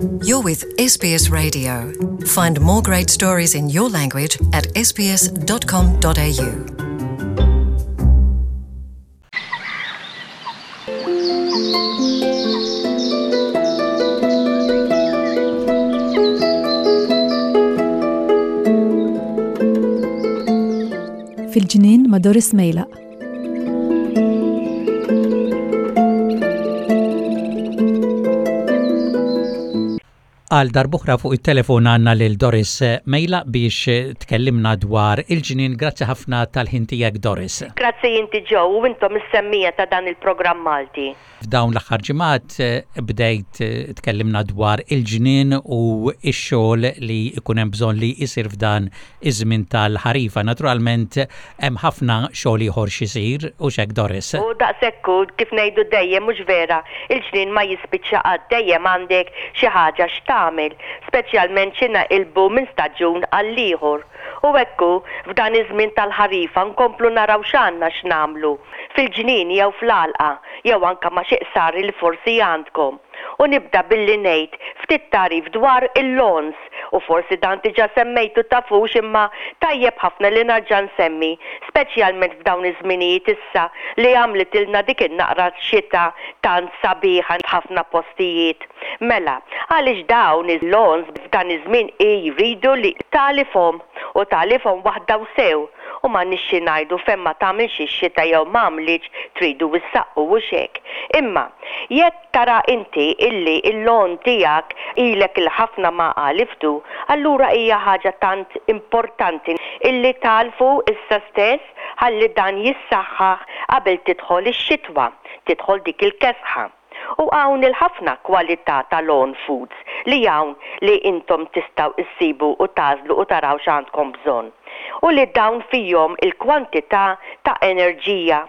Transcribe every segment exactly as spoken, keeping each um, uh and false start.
You're with S B S Radio. Find more great stories in your language at S B S dot com dot A U. Fil-ġnien ma' Doris Mejlaq. Għal darb'oħra fuq il-telefon għandna lil Doris Mejlaq biex tkellimna dwar il-ġnien. Grazzi ħafna tal-ħin tiegħek, Doris. Grazzi inti, Joe, u intom is-semmiegħa ta' dan il-programm Malti. F'dawn l-aħħar ġimgħat bdejt tkellimna dwar il-ġnien u x-xogħol li jkun hemm bżonn li jsir f'dan iż-żmien tal-ħarifa. Naturalment hemm ħafna xogħol ieħor x'isir u hekk, Doris. U daqshekk, kif ngħidu dejjem, mhux vera, il-ġnien ma jispiċċa qatt, dejjem għandek xi ħaġa x'tagħmel, speċjalment xi naqilbu minn staġun għal ieħor. U ekku, f'dan iż-żmien tal-ħarifa nkomplu naraw x'għandna x'nagħmlu fil-ġnien jew fl-għalqa jew anka ma' xi qsari li forsi għandkom. U nibda billi ngħid ftit tagħrif dwar il-lawns, u forsi dan diġà semmejtu, tafux, imma tajjeb ħafna li nerġa' nsemmi, speċjalment f'dawn iż-żminijiet issa li għamlitilna dik in-naqra xita tant sabiħa f'ħafna postijiet. Mela, għaliex dawn il-lawns f'dan iż-żmien jridu li tagħlifhom u tagħlifhom waħda u sew, u ma nixxi ngħidu fejn ma tagħmilx ix-xita jew ma għamlitx, tridu issaqqu u hekk. Imma jekk tara inti illi il-lawn tiegħek ilek il-ħafna ma għaliftu, allura hija ħaġa tant importanti illi tagħlfu issa stess ħalli dan jissaħħaħ qabel tidħol ix-xitwa, tidħol dik il-kesħa. U hawn il-ħafna kwalità ta' lawn foods li hawn li intom tistgħu issibu u tagħżlu u taraw x'għandkom bżonn. U li dawn fihom il-kwantità ta' enerġija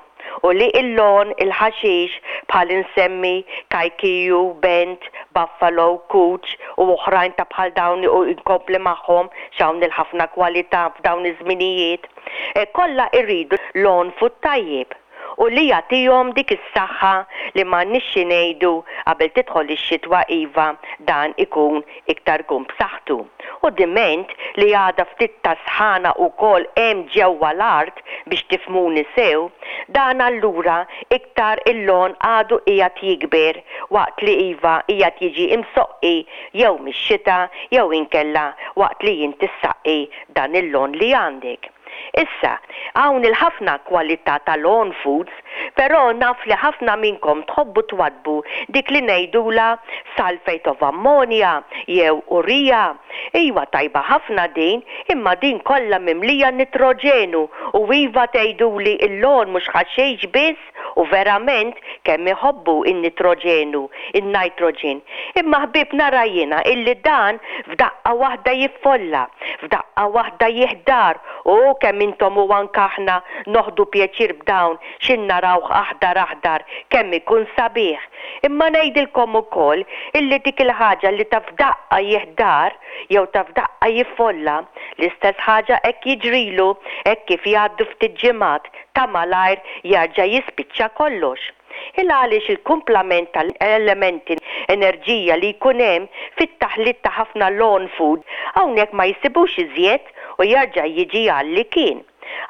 u li il-lawn, il-ħaxix, bħal insemmi Kikuyu, Bent, Buffalo, Cooch u oħrajn ta' bħal dawn u inkompli magħhom x'hawn il-ħafna kwalità f'dawn iż-żminijiet. E, kollha irridu lawn food tajjeb u li jagħtihom dik is-saħħa li ma nixxi ngħidu qabel tidħol ix-xitwa, iva, dan ikun iktar ikun b'saħħtu. U diment li għadha ftit ta' sħana wkoll hemm ġewwa l-art, biex tifhmuni sew, dan allura iktar il-lawn għadu qiegħed jikber waqt li, iva, qiegħed jiġi imsoqqi jew mix-xita jew inkella waqt li inti ssaqqi dan il-lawn li għandek. Issa, hawn il-ħafna kwalità ta' lawn foods, però naf li ħafna minnkom tħobbu twaddbu dik li ngħidula sulfate of ammonia jew urea. Iva, tajba ħafna din, imma din kollha mimlija nitroġenu u, iva, tgħiduli il-lawn mhux ħaxix biss, u verament kemm iħobbu in-nitroġenu, in-nitrogen. Imma ħbib, nara jiena illi dan f'daqqa waħda jiffolla, f'daqqa waħda jiħdar, u kemm intom u anka aħna noħdu pjaċir b'dawn xin narawh aħdar aħdar, kemm ikun sabiħ. Imma ngħidilkom ukoll illi dik il-ħaġa li ta' f'daqqa jiħdar jew ta' f'daqqa jiffolla, l-istess ħaġa hekk jiġrilu hekk kif jgħaddu ftit ġimgħat, ta' malajr jarġa' jispiċċa kollox. Il għaliex il-kumplament tal-elementi enerġija li jkun hemm fit-taħlit ta' ħafna lawn food hawnhekk ma jsibux iżjed u jarġa' jiġi għal li kien.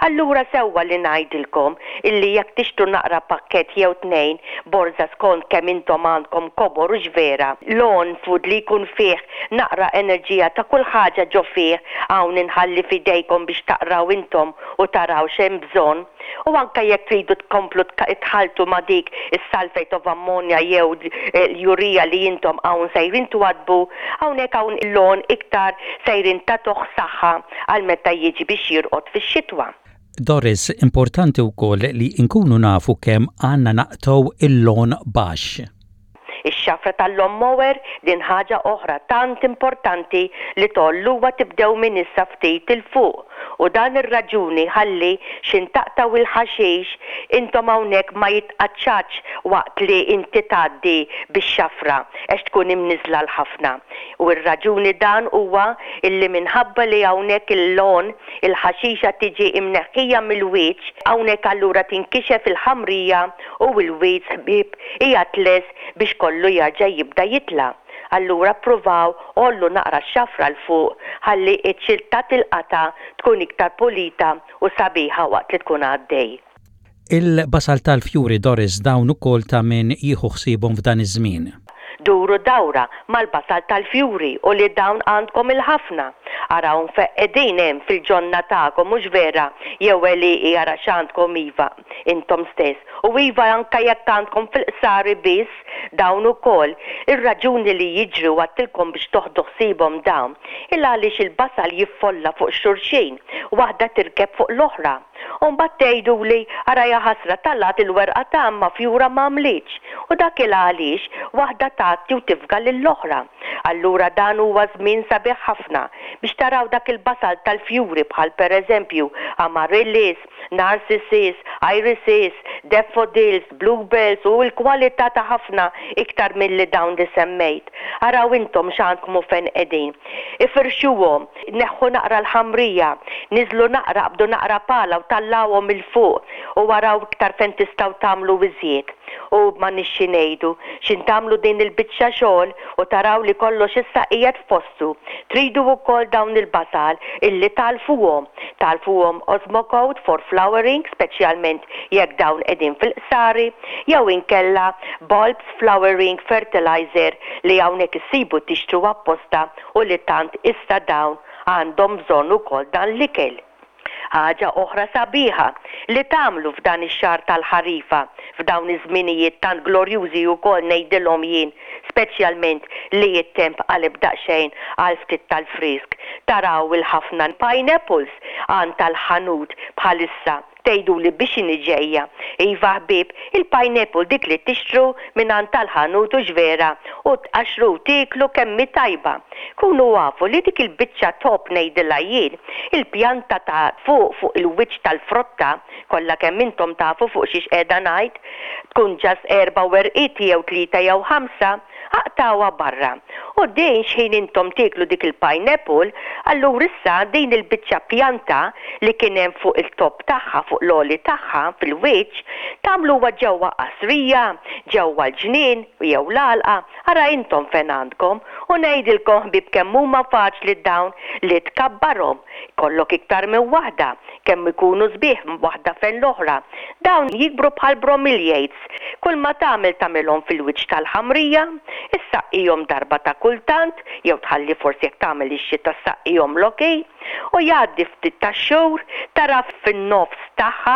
Allura sewwa li ngħidilkom illi jekk tixtru naqra pakket jew tnejn, borza, skont kemm intom għandkom kobor, u vera, lawn food li jkun fih naqra enerġija ta' kull ħaġa ġo fih, hawn inħalli fidejkom biex taqraw intom u taraw x'hemm bżonn. U anka jekk tridu tkomplu tħaltu ma' dik is-sulfate of ammonia jew l-urea li intom hawn sejrin twaddbu, hawnhekk hawn il-lawn iktar sejrin tagħtuh saħħa għal meta jiġi biex jirqod fix-xitwa. Doris, importanti wkoll li nkunu nafu kemm għandna naqtgħu il-lawn baxx. Ix-xafra tal-lawnmower, din ħaġa oħra tant importanti li tgħolluha, tibdew minn issa ftit 'il fuq. U dan ir-raġuni ħalli xin taqtgħu il-ħaxix intom hawnhekk ma jitqaċċaċ waqt li inti tgħaddi bix-xafra għax tkun imniżla l-ħafna. U r-raġuni dan huwa illi minħabba li hawnhekk il-lawn, il-ħaxixa tiġi imneħħija mill-wiċċ, hawnhekk allura tinkixef il-ħamrija u l-weeds, ħbieb, hija lest biex kollu jarġa' jibda jitla'. Allura ppruvaw għollu naqra x-xafra 'l fuq ħalli iċ-ċilta tilqata tkun iktar pulita u sabiħa waqt li tkun għaddej. Il-basal tal-fjuri, Doris, dawn ukoll ta' min jieħu ħsiebhom f'dan iż-żmien. Duru dawra mal-basal tal-fjuri u li dawn għandkom il-ħafna. Araw qegħdin hemm fil-ġonna tagħkom, mhux vera, jew għelieqi, ara x'għandkom, iva, intom stess. U iva, anka jekk għandkom fil-qsari biss, dawn ukoll. Ir-raġuni li jiġri għedtilkom biex toħdu ħsiebhom dawn, il għaliex il-basal jiffolla fuq xulxin, waħda tirkeb fuq l-oħra. U mbagħad tgħidu li ara jaħasra talat il-werqa ta' ma fjura ma għamlitx. U dak il għaliex waħda tagħti u tifga lill-oħra. Allura dan huwa żmien sabiħ ħafna biex taraw dak il-basal tal-fjuri bħal pereżempju amaryllis, narcissus, irises, daffodils, bluebells u l-kwalità ta' ħafna iktar milli dawn li semmejt. Araw intom x'għandkom u fejn qegħdin. Ifirxuhom, neħħu naqra l-ħamrija, niżlu naqra, qabdu naqra pala u tellgħuhom 'il fuq u araw iktar fejn tistgħu tagħmlu iżjed. U ma nixxi ngħidu, xin tagħmlu din il-biċċa xogħol u taraw li kollox issa qiegħed f'postu. Tridu wkoll dawn il-basal illi tagħlfuhom. Tagħlfuhom Osmocote for flowering, speċjalment jekk dawn qegħdin fil-qsari, jew inkella bulbs flowering fertilizer li hawnhekk issibu tixtru apposta u li tant issa dawn għandhom bżonn ukoll dan l-ikel. Ħaġa oħra sabiħa li tagħmlu f'dan ix-xahar tal-ħarifa, f'dawn iż-żminijiet tant glorjużi wkoll ngħidilhom jien, speċjalment li t-temp qaleb daqsxejn għal ftit tal-frisk. Taraw il-ħafna pineapples għand tal-ħanut bħalissa. Tgħidu li biex inhi ġejja. Iva ħbieb, il-pineapple dik li tixtru minn għand tal-ħanut, u vera, u tqaxru tieklu kemm hi tajba. Kunu afu li dik il-biċċa top ngħidilha jien, il-pjanta ta' fuq fuq il-wiċċ tal-frotta, kollha kemm intom tafu fuq xiex qiegħda ngħid, tkun just erba' werqiet jew tlieta jew ħamsa, aqtgħuha barra. U din xħin intom tieklu dik il-pineapple, allura issa din il-biċċa pjanta li kien hemm fuq il-top tagħha, fuq l-għoli tagħha fil-wiċċ, tagħmluha ġewwa qasrija, ġewwa l-ġnien jew l-għalqa, ara intom fejn għandkom, u ngħidilkom ħbieb kemm huma faċli dawn li tkabbarhom. Kollok iktar minn waħda, kemm ikunu sbieħ waħda fejn l-oħra. Dawn jikbru bħal bromeliads. Kull ma tagħmel tagħmilhom fil-wiċċ tal-ħamrija, issaqqihom darba ta' kultant, jew tħalli forsi jekk tagħmel ix-xita saqqihom l-okej, u jgħaddi ftit tax-xhur tara fin-nofs tagħha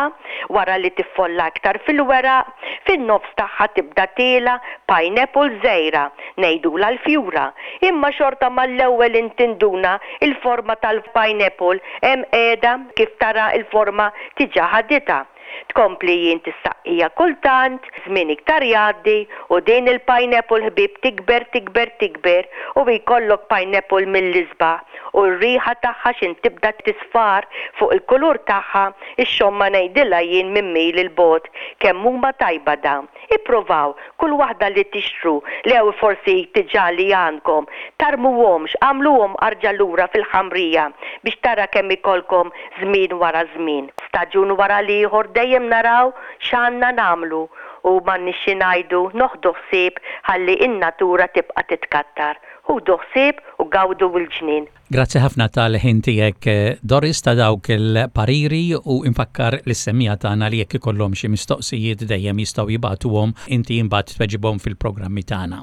wara li tiffolla aktar fil-weraq, fin-nofs tagħha tibda tiela pineapple żgħira, ngħidulha l-fjura. Imma xorta mal-ewwel intinduna il-forma tal-pineapple hemm qiegħda, kif tara il-forma diġà ħaditha. Tkompli jien tissaqqija kultant, żmien iktar jgħaddi u din il-pineapple ħbieb tikber, tikber, tikber u jkollok pineapple mill-isbaħ u r-riħa tagħha xin tibda tisfar fuq il-kulur tagħha ix-xomma ngħidilha jien minn mil il-bogħod kemm huma tajba dawn. Ippruvaw kull waħda li tixtru lew forsi diġà li għandkom, tarmuhomx, għamluhom arġa' lura fil-ħamrija biex tara kemm ikollkom żmien wara żmien. Staġun wara l-ieħor dejjem naraw x'għandna nagħmlu u m'għandniex xi ngħidu noħdu ħsieb ħalli in-natura tibqa' titkattar. Ħudu ħsieb u gawdu l-ġnien. Grazzi ħafna tal-ħin tiegħek, Doris, ta' dawk il-pariri u infakkar lis-semmiegħa tagħna li jekk ikollhom xi mistoqsijiet dejjem jistgħu jibagħtuhom, inti imbagħad tweġibhom fil-programmi tagħna.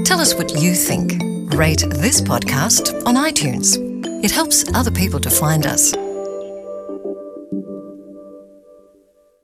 Tell us what you think. Rate this podcast on iTunes. It helps other people to find us.